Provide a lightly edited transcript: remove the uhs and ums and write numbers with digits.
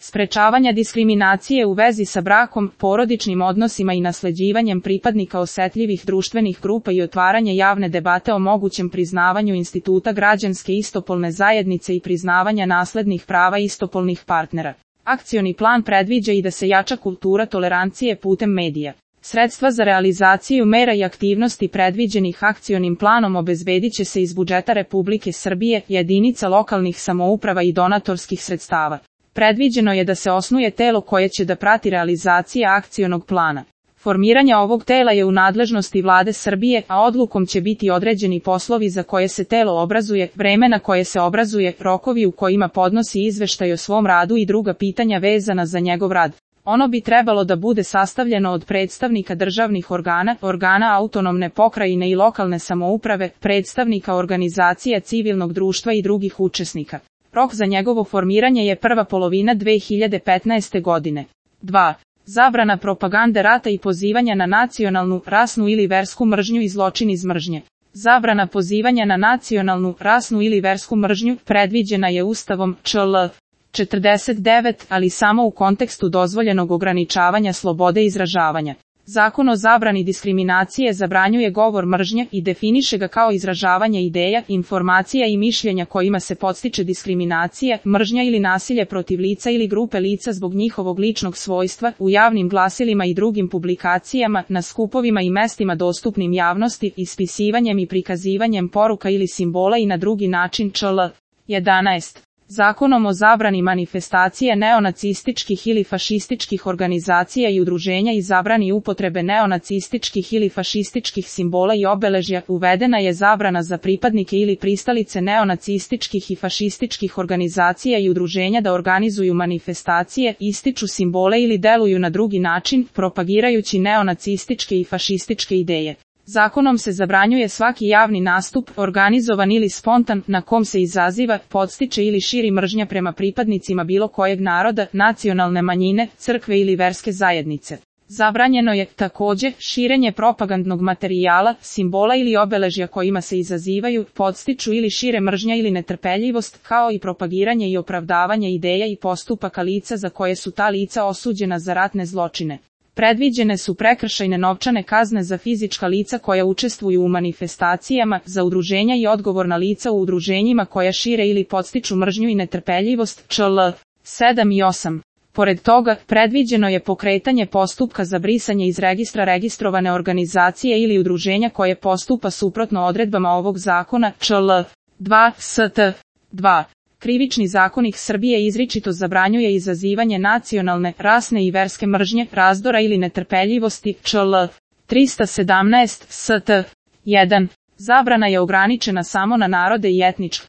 sprečavanja diskriminacije u vezi sa brakom, porodičnim odnosima i nasleđivanjem pripadnika osetljivih društvenih grupa i otvaranje javne debate o mogućem priznavanju instituta građanske istopolne zajednice i priznavanja naslednih prava istopolnih partnera. Akcioni plan predviđa i da se jača kultura tolerancije putem medija. Sredstva za realizaciju mera i aktivnosti predviđenih akcionim planom obezbedit će se iz budžeta Republike Srbije, jedinica lokalnih samouprava i donatorskih sredstava. Predviđeno je da se osnuje telo koje će da prati realizacije akcionog plana. Formiranje ovog tela je u nadležnosti Vlade Srbije, a odlukom će biti određeni poslovi za koje se telo obrazuje, vreme na koje se obrazuje, rokovi u kojima podnosi izveštaj o svom radu i druga pitanja vezana za njegov rad. Ono bi trebalo da bude sastavljeno od predstavnika državnih organa, organa autonomne pokrajine i lokalne samouprave, predstavnika organizacija civilnog društva i drugih učesnika. Rok za njegovo formiranje je prva polovina 2015. godine. 2. Zabrana propagande rata i pozivanja na nacionalnu, rasnu ili versku mržnju i zločin iz mržnje. Zabrana pozivanja na nacionalnu, rasnu ili versku mržnju predviđena je Ustavom ČL 49, ali samo u kontekstu dozvoljenog ograničavanja slobode izražavanja. Zakon o zabrani diskriminacije zabranjuje govor mržnje i definiše ga kao izražavanje ideja, informacija i mišljenja kojima se podstiče diskriminacija, mržnja ili nasilje protiv lica ili grupe lica zbog njihovog ličnog svojstva, u javnim glasilima i drugim publikacijama, na skupovima i mestima dostupnim javnosti, ispisivanjem i prikazivanjem poruka ili simbola i na drugi način ČL 11. Zakonom o zabrani manifestacije neonacističkih ili fašističkih organizacija i udruženja i zabrani upotrebe neonacističkih ili fašističkih simbola i obeležja uvedena je zabrana za pripadnike ili pristalice neonacističkih i fašističkih organizacija i udruženja da organizuju manifestacije, ističu simbole ili deluju na drugi način, propagirajući neonacističke i fašističke ideje. Zakonom se zabranjuje svaki javni nastup, organizovan ili spontan, na kom se izaziva, podstiče ili širi mržnja prema pripadnicima bilo kojeg naroda, nacionalne manjine, crkve ili verske zajednice. Zabranjeno je, takođe, širenje propagandnog materijala, simbola ili obeležja kojima se izazivaju, podstiču ili šire mržnja ili netrpeljivost, kao i propagiranje i opravdavanje ideja i postupaka lica za koje su ta lica osuđena za ratne zločine. Predviđene su prekršajne novčane kazne za fizička lica koja učestvuju u manifestacijama, za udruženja i odgovorna lica u udruženjima koja šire ili podstiču mržnju i netrpeljivost, ČL 7 i 8. Pored toga, predviđeno je pokretanje postupka za brisanje iz registra registrovane organizacije ili udruženja koje postupa suprotno odredbama ovog zakona, ČL 2 ST 2. Krivični zakonik Srbije izričito zabranjuje izazivanje nacionalne, rasne i verske mržnje, razdora ili netrpeljivosti, ČL 317 ST 1. Zabrana je ograničena samo na narode i etničke